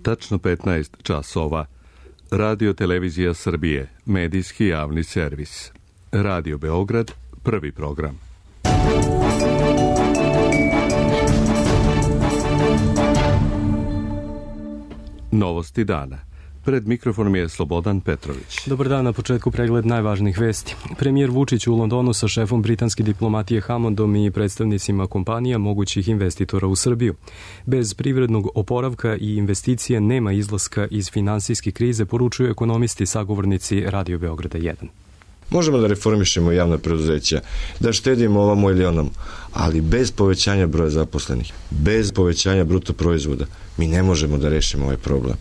Tačno 15 časova. Radio Televizija Srbije, medijski javni servis. Radio Beograd, prvi program. Novosti dana. Pred mikrofonom je Slobodan Petrović. Dobar dan, na početku pregled najvažnijih vesti. Premijer Vučić u Londonu sa šefom britanske diplomatije Hammondom i predstavnicima kompanija mogućih investitora u Srbiju. Bez privrednog oporavka i investicije nema izlaska iz finansijske krize, poručuju ekonomisti sagovornici Radio Beograda 1. Možemo da reformišemo javna preduzeća, da štedimo ovamo ili onamo, ali bez povećanja broja zaposlenih, bez povećanja bruto proizvoda, mi ne možemo da rešimo ovaj problem.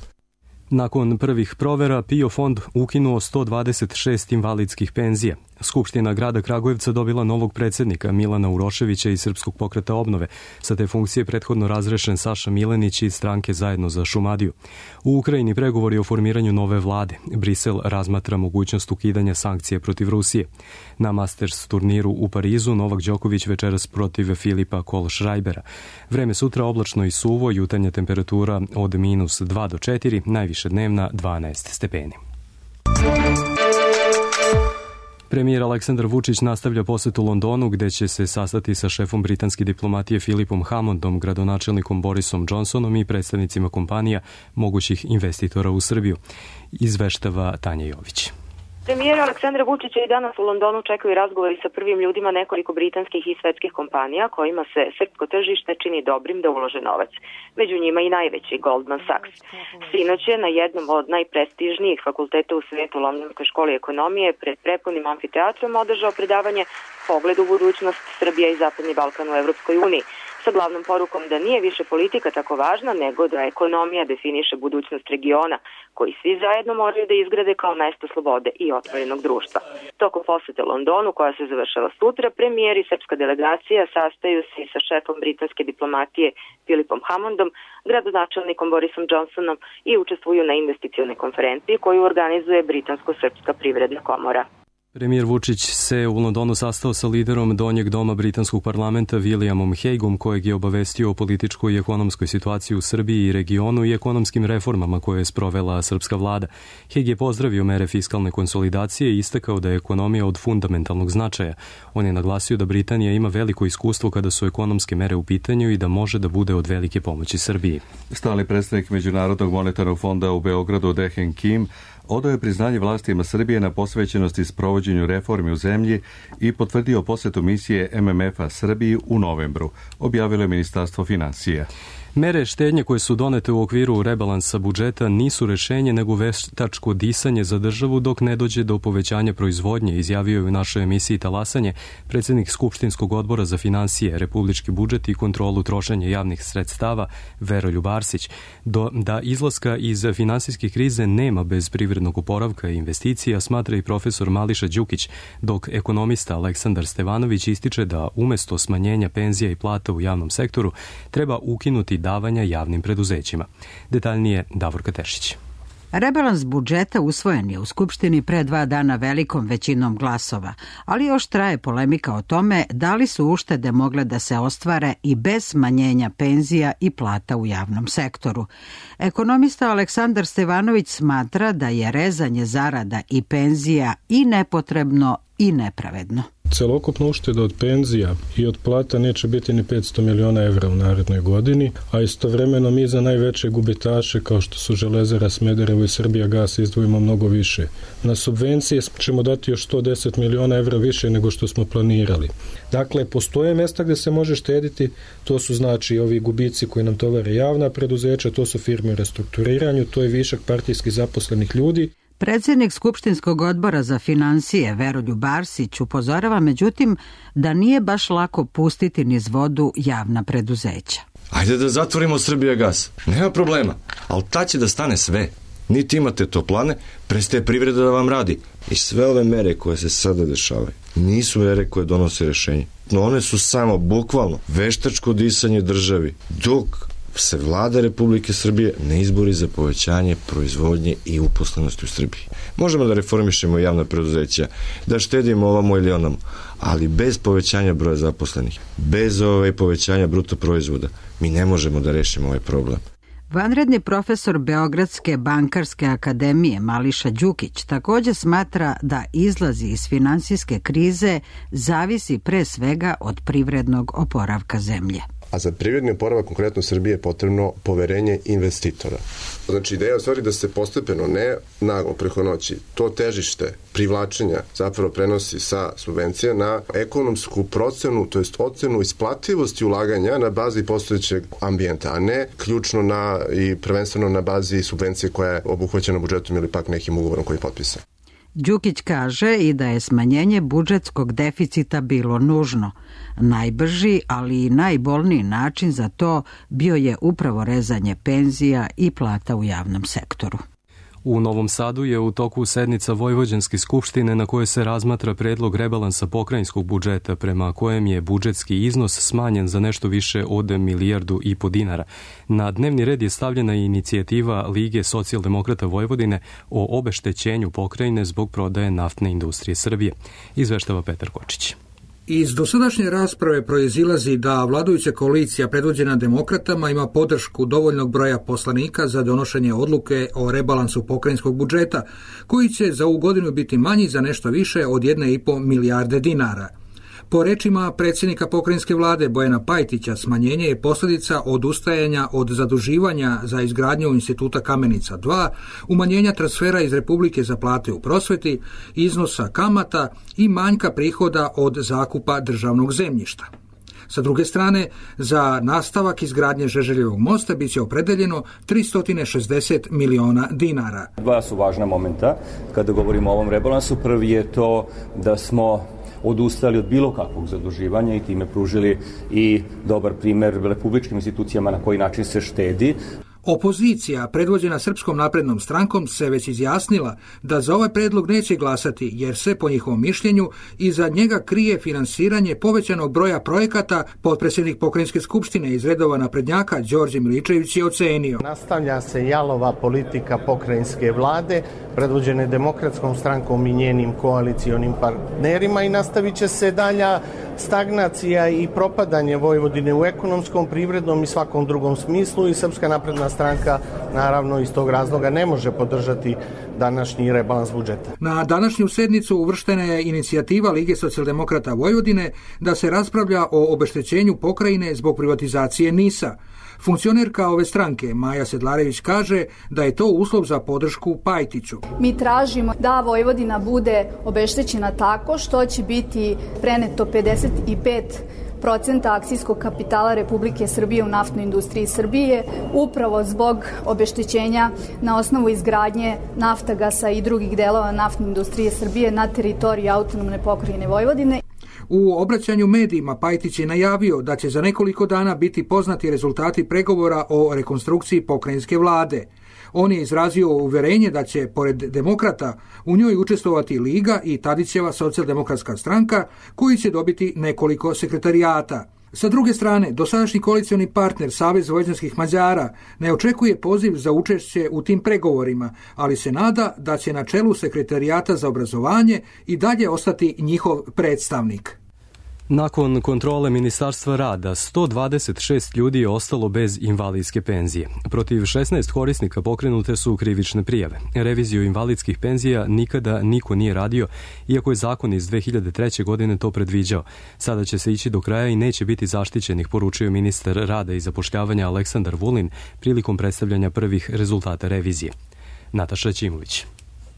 Nakon prvih provera, PIO fond ukinuo 126 invalidskih penzija. Skupština grada Kragujevca dobila novog predsjednika Milana Uroševića iz Srpskog pokreta obnove. Sa te funkcije prethodno razrešen Saša Milenić iz stranke Zajedno za Šumadiju. U Ukrajini pregovori o formiranju nove vlade. Brisel razmatra mogućnost ukidanja sankcije protiv Rusije. Na Masters turniru u Parizu Novak Đoković večeras protiv Filipa Kohlschreibera. Vreme sutra oblačno i suvo, jutarnja temperatura od -2 do 4, najviše dnevna 12 stepeni. Premijer Aleksandar Vučić nastavlja posetu Londonu, gde će se sastati sa šefom britanske diplomatije Filipom Hammondom, gradonačelnikom Borisom Johnsonom i predstavnicima kompanija mogućih investitora u Srbiju. Izveštava Tanja Jović. Premijera Aleksandra Vučića i danas u Londonu čekaju razgovori sa prvim ljudima nekoliko britanskih i svetskih kompanija kojima se srpsko tržište čini dobrim da ulože novac. Među njima i najveći Goldman Sachs. Sinoć je na jednom od najprestižnijih fakulteta u svijetu, Londonskoj školi ekonomije, pred prepunim amfiteatrom održao predavanje Pogled u budućnost Srbija i Zapadni Balkan u Evropskoj uniji, sa glavnom porukom da nije više politika tako važna, nego da ekonomija definiše budućnost regiona, koji svi zajedno moraju da izgrade kao mesto slobode i otvorenog društva. Tokom posete Londonu, koja se završava sutra, premijer i srpska delegacija sastaju se sa šefom britanske diplomatije Filipom Hammondom, gradonačelnikom Borisom Johnsonom i učestvuju na investicionoj konferenciji koju organizuje Britansko-srpska privredna komora. Premijer Vučić se u Londonu sastao sa liderom Donjeg doma britanskog parlamenta Williamom Hagueom, kojeg je obavestio o političkoj i ekonomskoj situaciji u Srbiji i regionu i ekonomskim reformama koje je sprovela srpska vlada. Hague je pozdravio mere fiskalne konsolidacije i istakao da je ekonomija od fundamentalnog značaja. On je naglasio da Britanija ima veliko iskustvo kada su ekonomske mere u pitanju i da može da bude od velike pomoći Srbiji. Stalni predstavnik Međunarodnog monetarnog fonda u Beogradu Dehen Kim odao je priznanje vlastima Srbije na posvećenosti sprovođenju reformi u zemlji i potvrdio posetu misije MMF-a Srbiji u novembru, objavilo je Ministarstvo finansija. Mere štednje koje su donete u okviru rebalansa budžeta nisu rešenje nego veštačko disanje za državu dok ne dođe do povećanja proizvodnje, izjavio je u našoj emisiji Talasanje predsjednik Skupštinskog odbora za finansije, republički budžet i kontrolu trošenja javnih sredstava Veroljub Arsić. Da izlaska iz finansijske krize nema bez privrednog oporavka i investicija, smatra i profesor Mališa Đukić, dok ekonomista Aleksandar Stevanović ističe da umesto smanjenja penzija i plata u javnom sektoru treba ukinuti davanja javnim preduzećima. Detaljnije Davorka Tešić. Rebalans budžeta usvojen je u Skupštini pre 2 dana velikom većinom glasova, ali još traje polemika o tome da li su uštede mogle da se ostvare i bez smanjenja penzija i plata u javnom sektoru. Ekonomista Aleksandar Stevanović smatra da je rezanje zarada i penzija i nepotrebno i nepravedno. Celokupna ušteda od penzija i od plata neće biti ni 500 miliona evra u narednoj godini, a istovremeno mi za najveće gubitaše kao što su Železara Smederevo i Srbijagas izdvojimo mnogo više. Na subvencije ćemo dati još 110 miliona evra više nego što smo planirali. Dakle, postoje mjesta gdje se može štediti, to su znači ovi gubici koji nam tovare javna preduzeća, to su firme u restrukturiranju, to je višak partijskih zaposlenih ljudi. Predsjednik Skupštinskog odbora za finansije Veroljub Arsić upozorava međutim da nije baš lako pustiti niz vodu javna preduzeća. Ajde da zatvorimo Srbijagas, nema problema, ali ta će da stane sve. Niti imate toplane, prestaje privreda da vam radi. I sve ove mere koje se sada dešavaju nisu mere koje donose rešenje. No one su samo bukvalno veštačko disanje državi, dok se vlada Republike Srbije ne izbori za povećanje proizvodnje i uposlenosti u Srbiji. Možemo da reformišemo javna preduzeća, da štedimo ovamo ili onamo, ali bez povećanja broja zaposlenih, bez povećanja bruto proizvoda, mi ne možemo da rešimo ovaj problem. Vanredni profesor Beogradske bankarske akademije Mališa Đukić također smatra da izlazi iz finansijske krize zavisi pre svega od privrednog oporavka zemlje. A za privredni oporavak konkretno Srbije je potrebno poverenje investitora. Znači ideja je u stvari da se postepeno, ne naglo preko noći, to težište privlačenja zapravo prenosi sa subvencija na ekonomsku procenu, to jest ocenu isplativosti ulaganja na bazi postojećeg ambijenta, a ne ključno i prvenstveno na bazi subvencije koja je obuhvaćena budžetom ili pak nekim ugovorom koji je potpisan. Đukić kaže i da je smanjenje budžetskog deficita bilo nužno. Najbrži, ali i najbolniji način za to bio je upravo rezanje penzija i plata u javnom sektoru. U Novom Sadu je u toku sednica Vojvođanske skupštine na kojoj se razmatra predlog rebalansa pokrajinskog budžeta prema kojem je budžetski iznos smanjen za nešto više od 1,5 milijardu dinara. Na dnevni red je stavljena inicijativa Lige socijaldemokrata Vojvodine o obeštećenju pokrajine zbog prodaje naftne industrije Srbije. Izveštava Petar Kočić. Iz dosadašnje rasprave proizilazi da vladajuća koalicija predvođena demokratama ima podršku dovoljnog broja poslanika za donošenje odluke o rebalansu pokrajinskog budžeta, koji će za ovu godinu biti manji za nešto više od 1,5 milijarde dinara. Po rečima predsjednika pokrajinske vlade Bojana Pajtića, smanjenje je posljedica odustajanja od zaduživanja za izgradnju Instituta Kamenica 2, umanjenja transfera iz Republike za plate u prosveti, iznosa kamata i manjka prihoda od zakupa državnog zemljišta. Sa druge strane, za nastavak izgradnje Žeželjevog mosta biće opredeljeno 360 miliona dinara. Dva su važna momenta kada govorimo o ovom rebalansu. Prvi je to da smo odustali od bilo kakvog zaduživanja i time pružili i dobar primjer republičkim institucijama na koji način se štedi. Opozicija, predvođena Srpskom naprednom strankom, se već izjasnila da za ovaj predlog neće glasati, jer se, po njihovom mišljenju, iza njega krije finansiranje povećanog broja projekata. Potpredsjednik pokrajinske skupštine iz redova naprednjaka Đorđe Miličević je ocenio. Nastavlja se jalova politika pokrajinske vlade, predvođene Demokratskom strankom i njenim koalicionim partnerima, i nastavit će se dalja stagnacija i propadanje Vojvodine u ekonomskom, privrednom i svakom drugom smislu, i Srpska napredna stranka naravno iz tog razloga ne može podržati današnji rebalans budžeta. Na današnju sednicu uvrštena je inicijativa Lige socijaldemokrata Vojvodine da se raspravlja o obeštećenju pokrajine zbog privatizacije NIS-a. Funkcionerka ove stranke, Maja Sedlarević, kaže da je to uslov za podršku Pajtiću. Mi tražimo da Vojvodina bude obeštećena tako što će biti preneto 55% akcijskog kapitala Republike Srbije u naftnoj industriji Srbije, upravo zbog obeštećenja na osnovu izgradnje Naftagasa i drugih delova naftne industrije Srbije na teritoriji autonomne pokrajine Vojvodine. U obraćanju medijima Pajtić je najavio da će za nekoliko dana biti poznati rezultati pregovora o rekonstrukciji pokrajinske vlade. On je izrazio uverenje da će, pored demokrata, u njoj učestvovati Liga i Tadićeva socijaldemokratska stranka, koji će dobiti nekoliko sekretarijata. Sa druge strane, dosadašnji koalicioni partner Savez vojvođanskih Mađara ne očekuje poziv za učešće u tim pregovorima, ali se nada da će na čelu sekretarijata za obrazovanje i dalje ostati njihov predstavnik. Nakon kontrole Ministarstva rada, 126 ljudi je ostalo bez invalidske penzije. Protiv 16 korisnika pokrenute su krivične prijave. Reviziju invalidskih penzija nikada niko nije radio, iako je zakon iz 2003. godine to predviđao. Sada će se ići do kraja i neće biti zaštićenih, poručio ministar rada i zapošljavanja Aleksandar Vulin prilikom predstavljanja prvih rezultata revizije. Nataša Ćimović.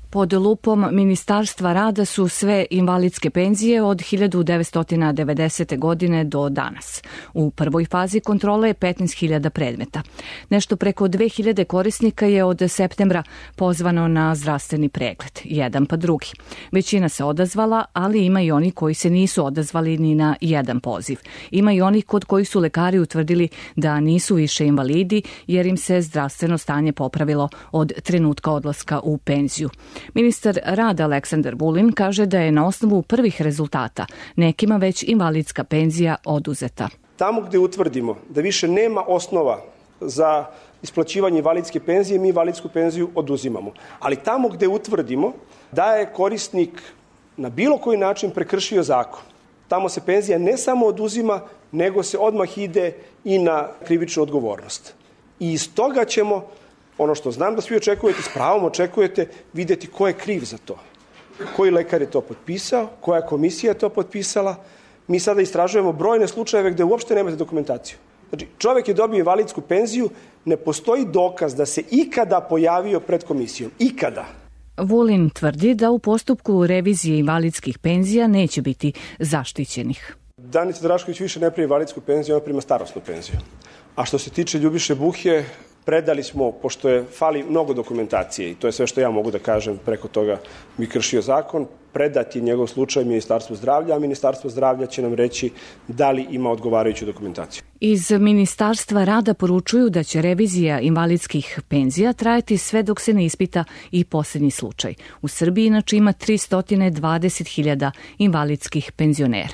Pod lupom Ministarstva rada su sve invalidske penzije od 1990. godine do danas. U prvoj fazi kontrole je 15.000 predmeta. Nešto preko 2.000 korisnika je od septembra pozvano na zdravstveni pregled, jedan pa drugi. Većina se odazvala, ali ima i oni koji se nisu odazvali ni na jedan poziv. Ima i oni kod kojih su lekari utvrdili da nisu više invalidi, jer im se zdravstveno stanje popravilo od trenutka odlaska u penziju. Ministar rada Aleksandar Vulin kaže da je na osnovu prvih rezultata nekima već invalidska penzija oduzeta. Tamo gde utvrdimo da više nema osnova za isplaćivanje invalidske penzije, mi invalidsku penziju oduzimamo. Ali tamo gde utvrdimo da je korisnik na bilo koji način prekršio zakon, tamo se penzija ne samo oduzima, nego se odmah ide i na krivičnu odgovornost. I iz toga ćemo, ono što znam da svi očekujete, s pravom očekujete, vidjeti ko je kriv za to. Koji lekar je to potpisao, koja komisija je to potpisala. Mi sada istražujemo brojne slučajeve gde uopšte nemate dokumentaciju. Znači, čovjek je dobio invalidsku penziju, ne postoji dokaz da se ikada pojavio pred komisijom. Ikada. Vulin tvrdi da u postupku revizije invalidskih penzija neće biti zaštićenih. Danica Drašković više ne prima invalidsku penziju, ona prima starosnu penziju. A što se tiče Ljubiše Buhje, predali smo, pošto je fali mnogo dokumentacije, i to je sve što ja mogu da kažem, preko toga bi kršio zakon, predati njegov slučaj Ministarstvu zdravlja, a Ministarstvo zdravlja će nam reći da li ima odgovarajuću dokumentaciju. Iz Ministarstva rada poručuju da će revizija invalidskih penzija trajati sve dok se ne ispita i posljednji slučaj. U Srbiji inače ima 320.000 invalidskih penzionera.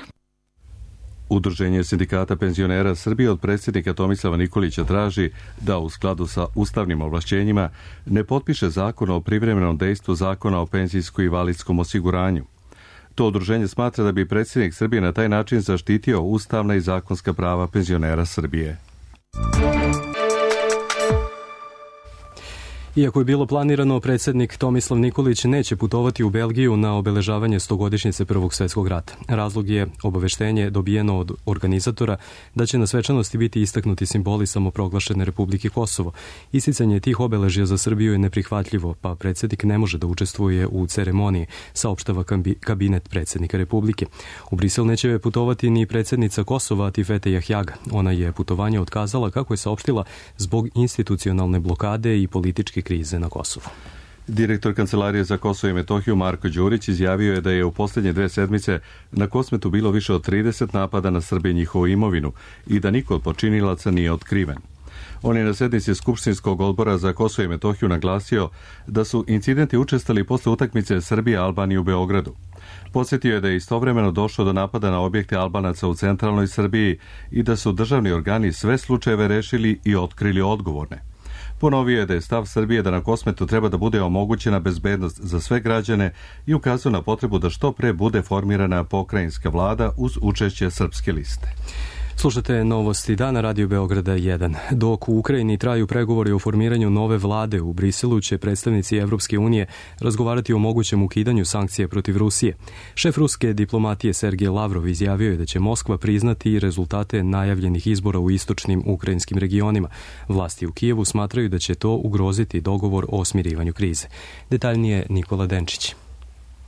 Udruženje sindikata penzionera Srbije od predsjednika Tomislava Nikolića traži da u skladu sa ustavnim ovlašćenjima ne potpiše zakon o privremenom dejstvu zakona o penzijskom i invalidskom osiguranju. To udruženje smatra da bi predsjednik Srbije na taj način zaštitio ustavna i zakonska prava penzionera Srbije. Iako je bilo planirano, predsjednik Tomislav Nikolić neće putovati u Belgiju na obeležavanje 100-godišnjice Prvog svjetskog rata. Razlog je obaveštenje dobijeno od organizatora da će na svečanosti biti istaknuti simboli samoproglašene Republike Kosovo. Isticanje tih obeležja za Srbiju je neprihvatljivo, pa predsjednik ne može da učestvuje u ceremoniji, saopštava kabinet predsjednika Republike. U Brisel neće putovati ni predsjednica Kosova Tifete Jahjaga. Ona je putovanje otkazala, kako je saopštila, zbog institucionalne blokade i političke krize na Kosovu. Direktor Kancelarije za Kosovo i Metohiju Marko Đurić izjavio je da je u posljednje 2 sedmice na Kosmetu bilo više od 30 napada na Srbe i njihovu imovinu i da niko od počinilaca nije otkriven. On je na sednici Skupštinskog odbora za Kosovo i Metohiju naglasio da su incidenti učestali posle utakmice Srbije-Albanije u Beogradu. Podsjetio je da je istovremeno došlo do napada na objekte Albanaca u centralnoj Srbiji i da su državni organi sve slučajeve rešili i otkrili odgovorne. Ponovio je da je stav Srbije da na Kosmetu treba da bude omogućena bezbednost za sve građane i ukazao na potrebu da što pre bude formirana pokrajinska vlada uz učešće Srpske liste. Slušate novosti dana Radio Beograda 1. Dok u Ukrajini traju pregovori o formiranju nove vlade, u Briselu će predstavnici Evropske unije razgovarati o mogućem ukidanju sankcija protiv Rusije. Šef ruske diplomatije Sergej Lavrov izjavio je da će Moskva priznati rezultate najavljenih izbora u istočnim ukrajinskim regionima. Vlasti u Kijevu smatraju da će to ugroziti dogovor o smirivanju krize. Detaljnije Nikola Denčić.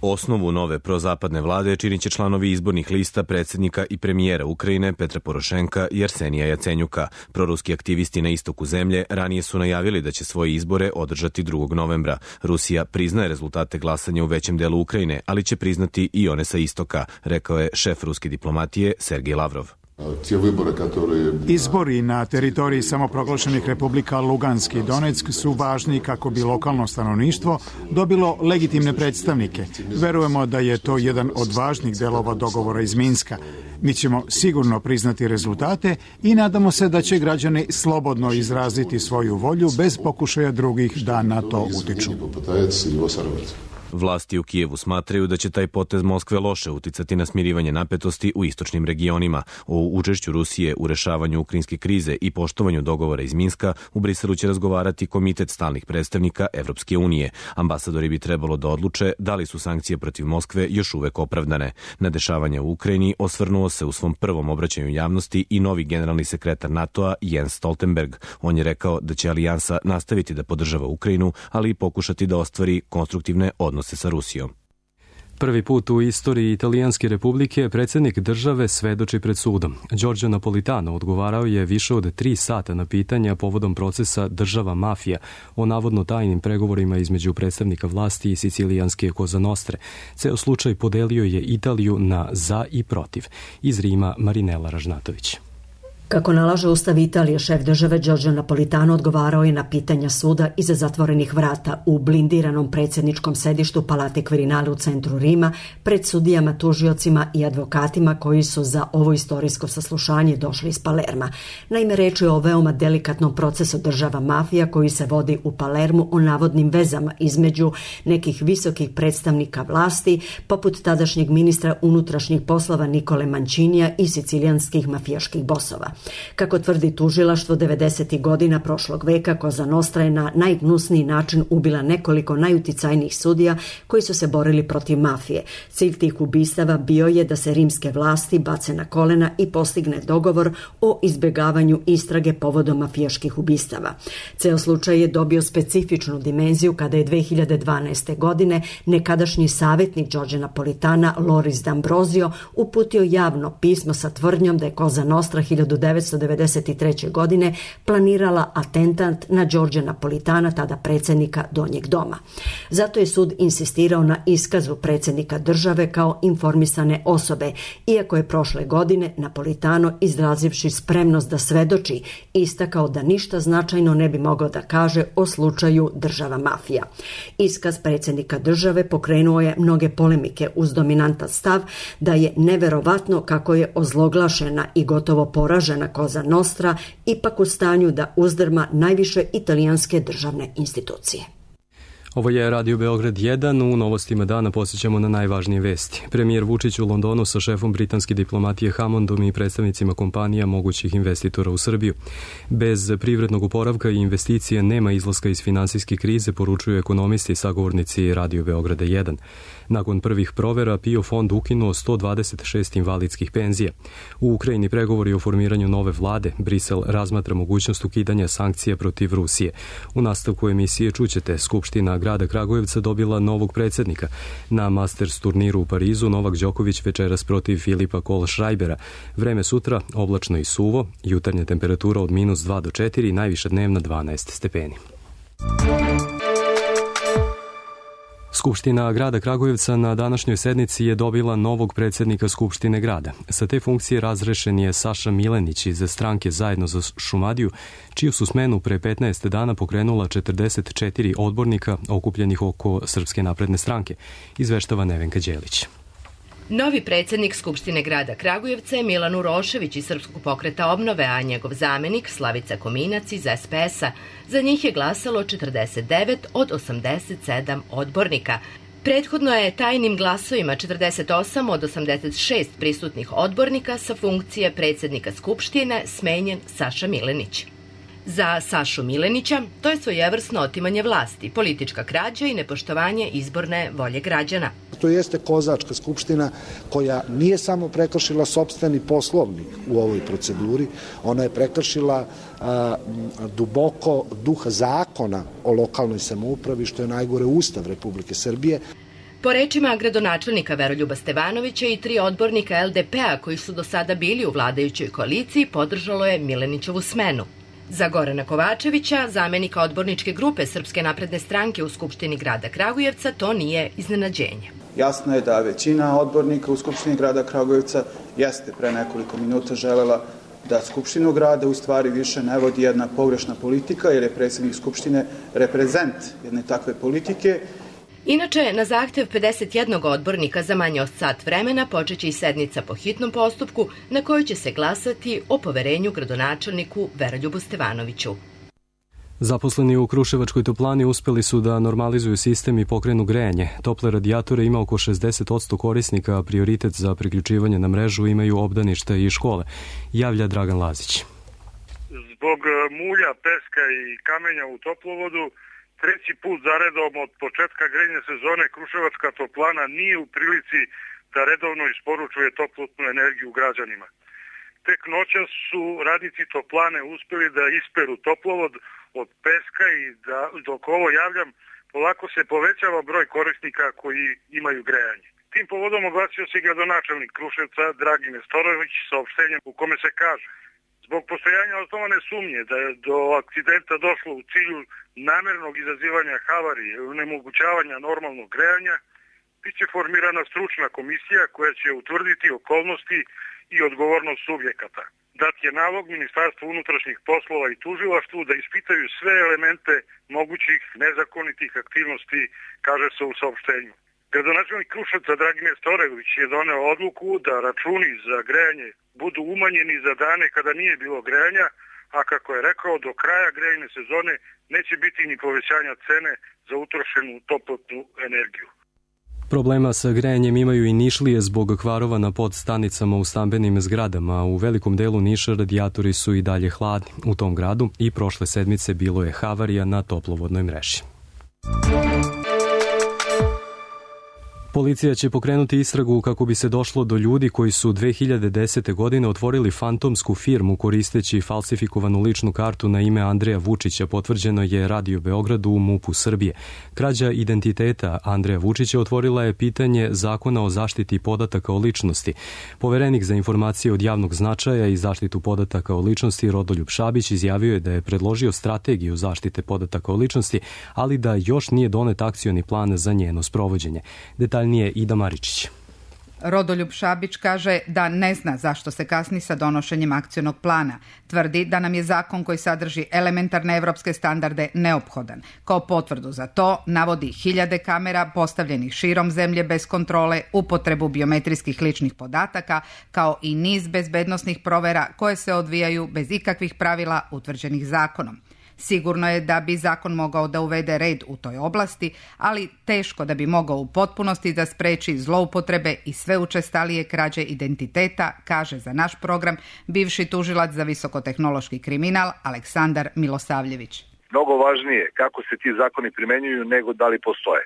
Osnovu nove prozapadne vlade činit će članovi izbornih lista predsjednika i premijera Ukrajine Petra Porošenka i Arsenija Jacenjuka. Proruski aktivisti na istoku zemlje ranije su najavili da će svoje izbore održati 2. novembra. Rusija priznaje rezultate glasanja u većem delu Ukrajine, ali će priznati i one sa istoka, rekao je šef ruske diplomatije Sergej Lavrov. Izbori na teritoriji samoproglašenih republika Lugansk i Donetsk su važni kako bi lokalno stanovništvo dobilo legitimne predstavnike. Verujemo da je to jedan od važnih delova dogovora iz Minska. Mi ćemo sigurno priznati rezultate i nadamo se da će građani slobodno izraziti svoju volju bez pokušaja drugih da na to utiču. Vlasti u Kijevu smatraju da će taj potez Moskve loše uticati na smirivanje napetosti u istočnim regionima. O učešću Rusije u rešavanju ukrajinske krize i poštovanju dogovora iz Minska u Briselu će razgovarati Komitet stalnih predstavnika Evropske unije. Ambasadori bi trebalo da odluče da li su sankcije protiv Moskve još uvek opravdane. Na dešavanja u Ukrajini osvrnuo se u svom prvom obraćanju javnosti i novi generalni sekretar NATO-a Jens Stoltenberg. On je rekao da će alijansa nastaviti da podržava Ukrajinu, ali i pokušati da ostvari konstruktivne odnose sa Rusijom. Prvi put u istoriji Italijanske republike predsjednik države svedoči pred sudom. Giorgio Napolitano odgovarao je više od 3 sata na pitanja povodom procesa Država mafija o navodno tajnim pregovorima između predstavnika vlasti i sicilijanske Cosa Nostre. Ceo slučaj podelio je Italiju na za i protiv. Iz Rima Marinela Ražnatović. Kako nalaže Ustav Italije, šef države Giorgio Napolitano odgovarao je na pitanja suda iza zatvorenih vrata u blindiranom predsjedničkom sedištu Palate Quirinale u centru Rima pred sudijama, tužiocima i advokatima koji su za ovo istorijsko saslušanje došli iz Palerma. Naime, reč je o veoma delikatnom procesu Država mafija koji se vodi u Palermu o navodnim vezama između nekih visokih predstavnika vlasti, poput tadašnjeg ministra unutrašnjih poslova Nikole Mancinija i sicilijanskih mafijaških bosova. Kako tvrdi tužilaštvo, 90. godina prošlog veka Cosa Nostra je na najgnusniji način ubila nekoliko najuticajnijih sudija koji su se borili protiv mafije. Cilj tih ubistava bio je da se rimske vlasti bace na kolena i postigne dogovor o izbjegavanju istrage povodom mafijaških ubistava. Ceo slučaj je dobio specifičnu dimenziju kada je 2012. godine nekadašnji savjetnik Đorđe Napolitana Loris D'Ambrosio uputio javno pismo sa tvrdnjom da je Cosa Nostra 1993. godine planirala atentat na Đorđe Napolitana, tada predsjednika Donjeg doma. Zato je sud insistirao na iskazu predsjednika države kao informisane osobe, iako je prošle godine Napolitano, izrazivši spremnost da svedoči, istakao da ništa značajno ne bi mogao da kaže o slučaju država mafija. Iskaz predsjednika države pokrenuo je mnoge polemike uz dominantan stav da je neverovatno kako je ozloglašena i gotovo poražena Cosa Nostra ipak u stanju da uzdrma najviše italijanske državne institucije. Ovo je Radio Beograd 1. U novostima dana posjećamo na najvažnije vesti. Premijer Vučić u Londonu sa šefom britanske diplomatije Hammondom i predstavnicima kompanija mogućih investitora u Srbiju. Bez privrednog oporavka i investicije nema izlaska iz finansijske krize, poručuju ekonomisti i sagovornici Radio Beograda 1. Nakon prvih provera PIO fond ukinuo 126 invalidskih penzija. U Ukrajini pregovori o formiranju nove vlade. Brisel razmatra mogućnost ukidanja sankcija protiv Rusije. U nastavku emisije čućete, Skupština grada Kragujevca dobila novog predsjednika. Na Masters turniru u Parizu Novak Đoković večeras protiv Filipa Kohlschreibera. Vreme sutra oblačno i suvo, jutarnja temperatura od -2 do 4, najviša dnevna 12 stepeni. Skupština grada Kragujevca na današnjoj sednici je dobila novog predsjednika Skupštine grada. Sa te funkcije razrešen je Saša Milenić iz stranke Zajedno za Šumadiju, čiju su smenu pre 15 dana pokrenula 44 odbornika okupljenih oko Srpske napredne stranke, izveštava Nevenka Đelić. Novi predsjednik Skupštine grada Kragujevca je Milan Urošević iz Srpskog pokreta obnove, a njegov zamenik Slavica Kominac iz SPS-a. Za njih je glasalo 49 od 87 odbornika. Prethodno je tajnim glasovima 48 od 86 prisutnih odbornika sa funkcije predsjednika Skupštine smenjen Saša Milenić. Za Sašu Milenića to je svojevrsno otimanje vlasti, politička krađa i nepoštovanje izborne volje građana. To jeste kozačka skupština koja nije samo prekršila sopstveni poslovnik u ovoj proceduri, ona je prekršila duboko duh zakona o lokalnoj samoupravi, što je najgore Ustav Republike Srbije. Po rečima gradonačelnika Veroljuba Stevanovića i 3 odbornika LDP-a koji su do sada bili u vladajućoj koaliciji podržalo je Milenićevu smenu. Za Gorana Kovačevića, zamenika odborničke grupe Srpske napredne stranke u Skupštini grada Kragujevca, to nije iznenađenje. Jasno je da većina odbornika u Skupštini grada Kragujevca jeste pre nekoliko minuta želela da Skupštinu grada u stvari više ne vodi jedna pogrešna politika, jer je predsjednik Skupštine reprezent jedne takve politike. Inače, na zahtev 51 odbornika za manje od sat vremena počeće i sednica po hitnom postupku na kojoj će se glasati o poverenju gradonačelniku Veroljubu Stevanoviću. Zaposleni u Kruševačkoj toplani uspeli su da normalizuju sistem i pokrenu grejanje. Tople radijatore ima oko 60% korisnika, a prioritet za priključivanje na mrežu imaju obdaništa i škole, javlja Dragan Lazić. Zbog mulja, peska i kamenja u toplovodu, treći put zaredom od početka grejne sezone Kruševačka toplana nije u prilici da redovno isporučuje toplotnu energiju građanima. Tek noćas su radnici toplane uspeli da isperu toplovod od peska i da, dok ovo javljam, polako se povećava broj korisnika koji imaju grejanje. Tim povodom oglasio se gradonačelnik Kruševca Dragin Nestorović saopštenjem u kome se kaže: zbog postojanja osnovane sumnje da je do akcidenta došlo u cilju namernog izazivanja havarije i onemogućavanja normalnog grejanja, biće formirana stručna komisija koja će utvrditi okolnosti i odgovornost subjekata. Dat je nalog Ministarstvu unutrašnjih poslova i tužilaštvu da ispitaju sve elemente mogućih nezakonitih aktivnosti, kaže se u saopštenju. Gradonačelnik Kruševca Dragin Nestorović je doneo odluku da računi za grejanje budu umanjeni za dane kada nije bilo grejanja, a kako je rekao, do kraja grejne sezone neće biti ni povećanja cene za utrošenu toplotnu energiju. Problema sa grejanjem imaju i Nišlije zbog kvarova na podstanicama u stambenim zgradama. U velikom delu Niša radijatori su i dalje hladni. U tom gradu i prošle sedmice bilo je havarija na toplovodnoj mreži. Policija će pokrenuti istragu kako bi se došlo do ljudi koji su 2010. godine otvorili fantomsku firmu koristeći falsifikovanu ličnu kartu na ime Andreja Vučića, potvrđeno je Radio Beogradu u MUP-u Srbije. Krađa identiteta Andreja Vučića otvorila je pitanje Zakona o zaštiti podataka o ličnosti. Poverenik za informacije od javnog značaja i zaštitu podataka o ličnosti Rodoljub Šabić izjavio je da je predložio strategiju zaštite podataka o ličnosti, ali da još nije donet akcioni plan za njeno sprovođenje. Detaljnije Ida Maričić. Rodoljub Šabić kaže da ne zna zašto se kasni sa donošenjem akcionog plana. Tvrdi da nam je zakon koji sadrži elementarne evropske standarde neophodan. Kao potvrdu za to navodi hiljade kamera postavljenih širom zemlje bez kontrole, upotrebu biometrijskih ličnih podataka, kao i niz bezbednosnih provera koje se odvijaju bez ikakvih pravila utvrđenih zakonom. Sigurno je da bi zakon mogao da uvede red u toj oblasti, ali teško da bi mogao u potpunosti da spreči zloupotrebe i sve učestalije krađe identiteta, kaže za naš program bivši tužilac za visokotehnološki kriminal Aleksandar Milosavljević. Mnogo važnije kako se ti zakoni primenjuju nego da li postoje.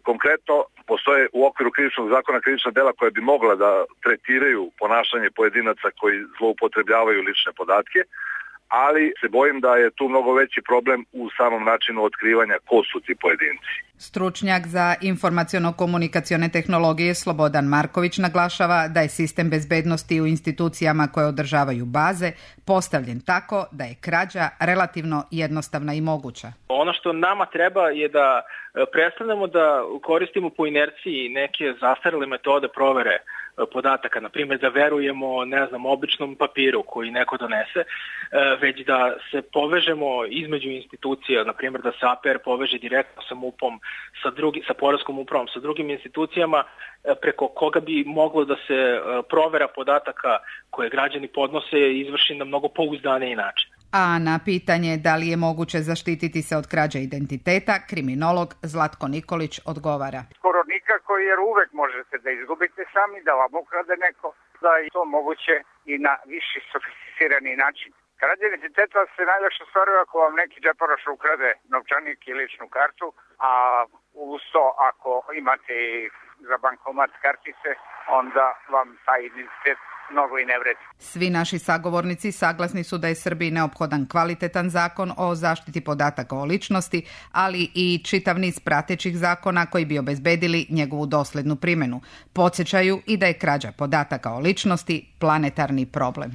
Konkretno, postoje u okviru krivičnog zakona krivična dela koja bi mogla da tretiraju ponašanje pojedinaca koji zloupotrebljavaju lične podatke, ali se bojim da je tu mnogo veći problem u samom načinu otkrivanja ko su ti pojedinci. Stručnjak za informaciono-komunikacione tehnologije Slobodan Marković naglašava da je sistem bezbednosti u institucijama koje održavaju baze postavljen tako da je krađa relativno jednostavna i moguća. Ono što nama treba je da prestanemo da koristimo po inerciji neke zastarele metode provere podataka, na primjer da verujemo, običnom papiru koji neko donese, već da se povežemo između institucija, na primjer da se APR poveže direktno sa MUP-om, sa poreskom upravom, sa drugim institucijama preko koga bi moglo da se provera podataka koje građani podnose izvrši na mnogo pouzdaniji način. A na pitanje da li je moguće zaštititi se od krađe identiteta, kriminolog Zlatko Nikolić odgovara. Skoro nikako, jer uvek možete da izgubite sami, da vam ukrade neko, da je to moguće i na viši sofisticirani način. Krađa identiteta se najlakše stvaruje ako vam neki džeparoš ukrade novčanik i ličnu kartu, a uz to ako imate za bankomat kartice, onda vam taj identitet mnogo i ne vredi. Svi naši sagovornici saglasni su da je Srbiji neophodan kvalitetan zakon o zaštiti podataka o ličnosti, ali i čitav niz pratećih zakona koji bi obezbedili njegovu doslednu primjenu. Podsjećaju i da je krađa podataka o ličnosti planetarni problem.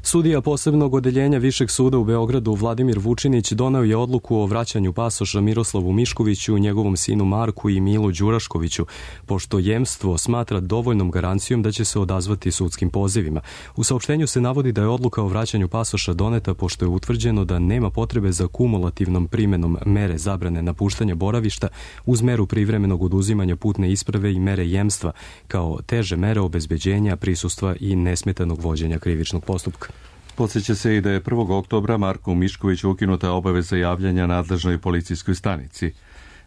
Sudija posebnog odeljenja Višeg suda u Beogradu Vladimir Vučinić doneo je odluku o vraćanju pasoša Miroslavu Miškoviću, njegovom sinu Marku i Milu Đuraškoviću, pošto jemstvo smatra dovoljnom garancijom da će se odazvati sudskim pozivima. U saopštenju se navodi da je odluka o vraćanju pasoša doneta pošto je utvrđeno da nema potrebe za kumulativnom primenom mere zabrane napuštanja boravišta uz meru privremenog oduzimanja putne isprave i mere jemstva, kao teže mere obezbeđenja, prisustva i nesmetanog vođenja krivičnog postupka. Podsjeća se i da je 1. oktobra Marku Miškoviću ukinuta obaveza javljanja nadležnoj policijskoj stanici.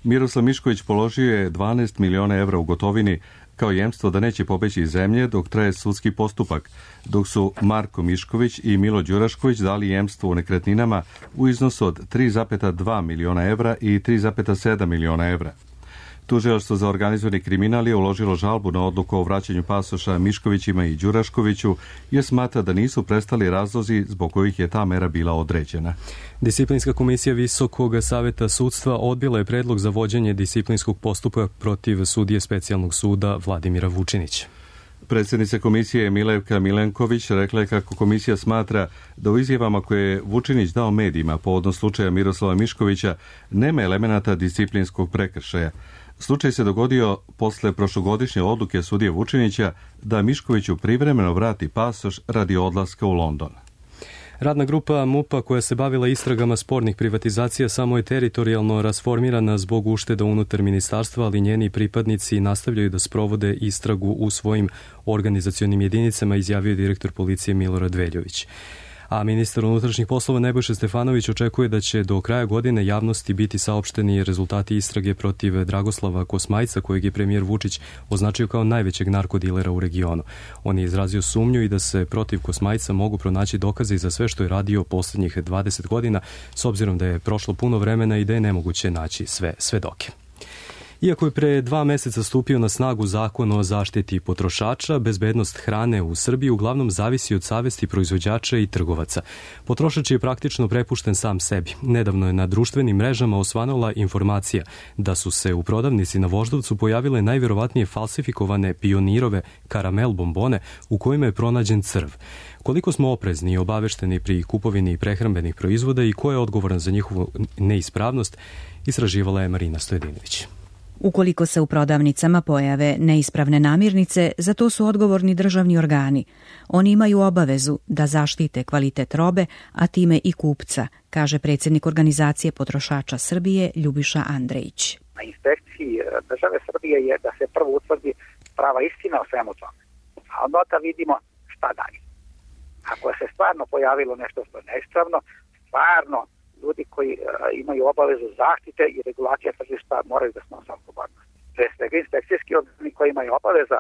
Miroslav Mišković položio je 12 miliona evra u gotovini kao jemstvo da neće pobeći iz zemlje dok traje sudski postupak, dok su Marko Mišković i Milo Đurašković dali jemstvo u nekretninama u iznosu od 3,2 miliona evra i 3,7 miliona evra. Tužilaštvo za organizovani kriminal je uložilo žalbu na odluku o vraćanju pasoša Miškovićima i Đuraškoviću jer smatra da nisu prestali razlozi zbog kojih je ta mera bila određena. Disciplinska komisija Visokog saveta sudstva odbila je predlog za vođenje disciplinskog postupka protiv sudije specijalnog suda Vladimira Vučinića. Predsjednica komisije Milevka Milenković rekla je kako komisija smatra da u izjavama koje je Vučinić dao medijima povodom slučaja Miroslava Miškovića nema elemenata disciplinskog prekršaja. Slučaj se dogodio posle prošlogodišnje odluke sudije Vučinića da Miškoviću privremeno vrati pasoš radi odlaska u London. Radna grupa MUP-a koja se bavila istragama spornih privatizacija samo je teritorijalno rasformirana zbog ušteda unutar ministarstva, ali njeni pripadnici nastavljaju da sprovode istragu u svojim organizacionim jedinicama, izjavio direktor policije Milorad Veljović. A ministar unutrašnjih poslova Nebojša Stefanović očekuje da će do kraja godine javnosti biti saopšteni rezultati istrage protiv Dragoslava Kosmajca, kojeg je premijer Vučić označio kao najvećeg narkodilera u regionu. On je izrazio sumnju i da se protiv Kosmajca mogu pronaći dokaze za sve što je radio poslednjih 20 godina, s obzirom da je prošlo puno vremena i da je nemoguće naći sve svedoke. Iako je pre 2 meseca stupio na snagu zakon o zaštiti potrošača, bezbednost hrane u Srbiji uglavnom zavisi od savesti proizvođača i trgovaca. Potrošač je praktično prepušten sam sebi. Nedavno je na društvenim mrežama osvanula informacija da su se u prodavnici na Voždovcu pojavile najverovatnije falsifikovane Pionirove karamel bombone u kojima je pronađen crv. Koliko smo oprezni i obavešteni pri kupovini prehrambenih proizvoda i ko je odgovoran za njihovu neispravnost, istraživala je Marina Stojedinović. Ukoliko se u prodavnicama pojave neispravne namirnice, za to su odgovorni državni organi. Oni imaju obavezu da zaštite kvalitet robe, a time i kupca, kaže predsjednik Organizacije potrošača Srbije Ljubiša Andrejić. Na inspekciji države Srbije je da se prvo utvrdi prava istina o svemu tome. A onda vidimo šta dalje. Ako se stvarno pojavilo nešto što je neispravno, stvarno ljudi koji imaju obavezu zaštite i regulacije tržišta moraju da snose odgovornost. Pre svega inspekcijski organi koji imaju obaveza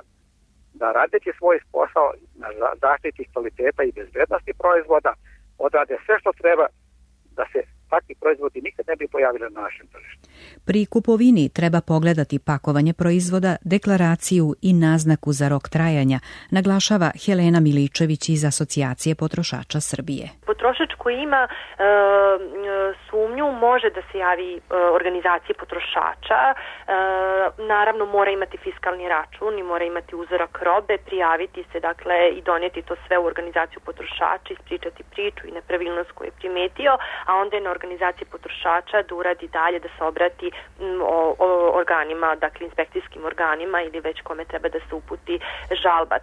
da radeći svoj posao na zaštiti kvaliteta i bezbednosti proizvoda odrade sve što treba da se takvi proizvodi nikad ne bi pojavili na našem tržištu. Pri kupovini treba pogledati pakovanje proizvoda, deklaraciju i naznaku za rok trajanja, naglašava Helena Miličević iz Asocijacije potrošača Srbije. Potrošač koji ima sumnju može da se javi organizaciji potrošača, naravno mora imati fiskalni račun i mora imati uzorak robe, prijaviti se dakle i donijeti to sve u organizaciju potrošača, ispričati priču i nepravilnost koju je primetio, a onda je na organizaciji potrošača da uradi dalje, da se obrati organima, dakle inspekcijskim organima ili već kome treba da se uputi žalba.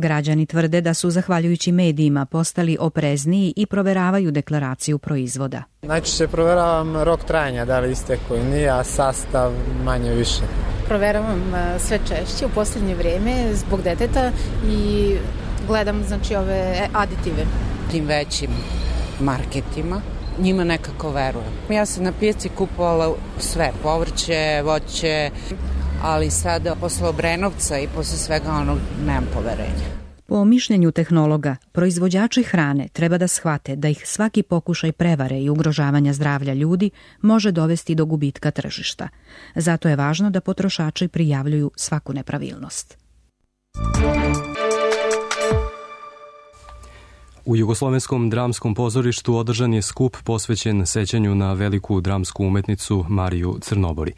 Građani tvrde da su zahvaljujući medijima postali oprezniji i proveravaju deklaraciju proizvoda. Najčešće proveravam rok trajanja, da li istekao ili nije, a sastav manje više. Proveravam sve češće u posljednje vrijeme zbog deteta i gledam znači ove aditive. Tim većim marketima njima nekako verujem. Ja sam na pijaci kupovala sve, povrće, voće, ali sada posle Obrenovca i posle svega onog nemam poverenja. Po mišljenju tehnologa, proizvođači hrane treba da shvate da ih svaki pokušaj prevare i ugrožavanja zdravlja ljudi može dovesti do gubitka tržišta. Zato je važno da potrošači prijavljuju svaku nepravilnost. U Jugoslovenskom dramskom pozorištu održan je skup posvećen sećanju na veliku dramsku umetnicu Mariju Crnobori.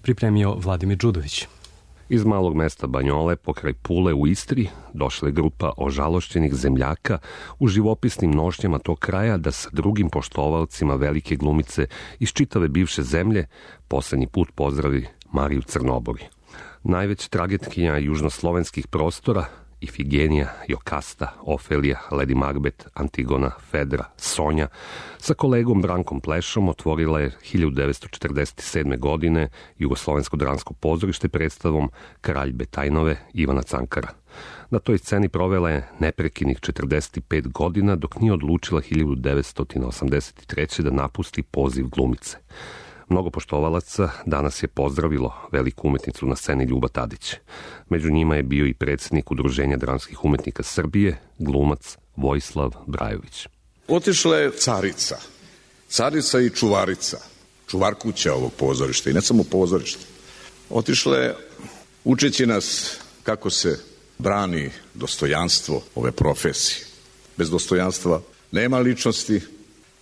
Pripremio Vladimir Đudović. Iz malog mesta Banjole, pokraj Pule u Istri, došla je grupa ožalošćenih zemljaka u živopisnim nošnjama tog kraja da sa drugim poštovalcima velike glumice iz čitave bivše zemlje poslednji put pozdravi Mariju Crnobori. Najveća tragedkinja južnoslovenskih prostora, Ifigenija, Jokasta, Ofelija, Lady Macbeth, Antigona, Fedra, Sonja, sa kolegom Brankom Plešom otvorila je 1947. godine Jugoslovensko dramsko pozorište predstavom Kralj Betajnove Ivana Cankara. Na toj sceni provela je neprekinih 45 godina dok nije odlučila 1983. da napusti poziv glumice. Mnogo poštovalaca danas je pozdravilo veliku umetnicu na sceni Ljuba Tadić. Među njima je bio i predsjednik Udruženja dramskih umetnika Srbije, glumac Vojislav Brajović. Otišla je carica i čuvarica, čuvar kuća ovog pozorišta i ne samo pozorišta. Otišla je učeći nas kako se brani dostojanstvo ove profesije. Bez dostojanstva nema ličnosti,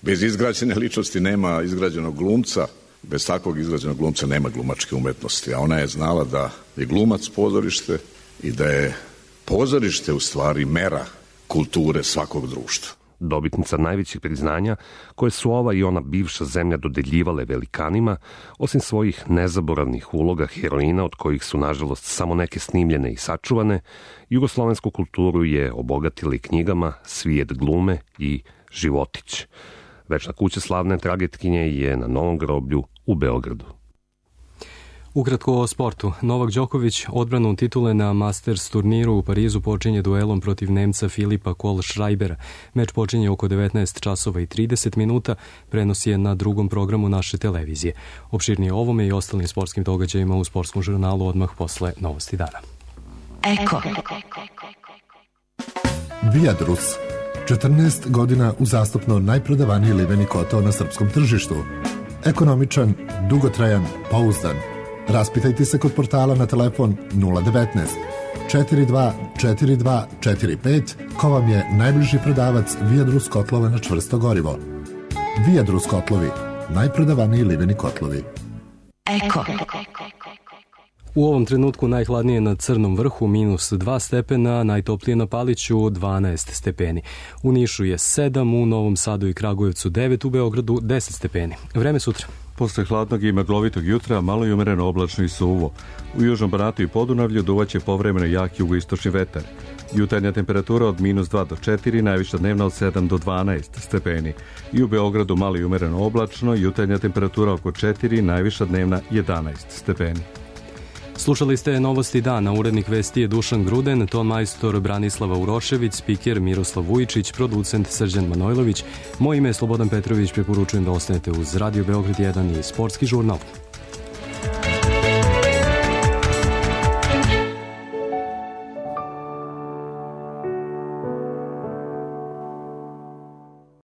bez izgrađene ličnosti nema izgrađenog glumca, bez takvog izgrađenog glumca nema glumačke umetnosti, a ona je znala da je glumac pozorište i da je pozorište u stvari mera kulture svakog društva. Dobitnica najvećih priznanja koje su ova i ona bivša zemlja dodeljivale velikanima, osim svojih nezaboravnih uloga heroina od kojih su nažalost samo neke snimljene i sačuvane, jugoslovensku kulturu je obogatila i knjigama Svijet glume i Životić. Večna kuća slavne tragedkinje je na Novom groblju u Beogradu. Ukratko o sportu. Novak Đoković odbranu titule na Masters turniru u Parizu počinje duelom protiv Nemca Filipa Kohlschreibera. Meč počinje oko 19 časova i 30 minuta, prenos je na drugom programu naše televizije. Opširnije o ovome i ostalim sportskim događajima u sportskom žurnalu odmah posle Novosti dana. Eko. Viadrus. 14 godina uzastopno najprodavaniji liveni kotao na srpskom tržištu. Ekonomičan, dugotrajan, pouzdan. Raspitajte se kod portala na telefon 019 42 42 45 ko vam je najbliži prodavac Viadrus kotlova na čvrsto gorivo. Viadrus kotlovi, najprodavaniji liveni kotlovi. Eko. U ovom trenutku najhladnije na Crnom vrhu -2 stepena, najtoplije na Paliću 12 stepeni. U Nišu je 7, u Novom Sadu i Kragujevcu 9, u Beogradu 10 stepeni. Vreme sutra. Posle hladnog i maglovitog jutra malo i umereno oblačno i suvo. U Južnom Banatu i Podunavlju duvaće povremeno jak jugoistočni vetar. Jutarnja temperatura od -2 do 4, najviša dnevna od 7 do 12 stepeni. I u Beogradu malo i umereno oblačno, jutarnja temperatura oko 4, najviša dnevna 11 stepeni. Slušali ste Novosti dana, urednik vesti je Dušan Gruden, ton majstor Branislava Urošević, spiker Miroslav Vujičić, producent Srđan Manojlović. Moje ime je Slobodan Petrović, preporučujem da ostanete uz Radio Beograd 1 i Sportski žurnal.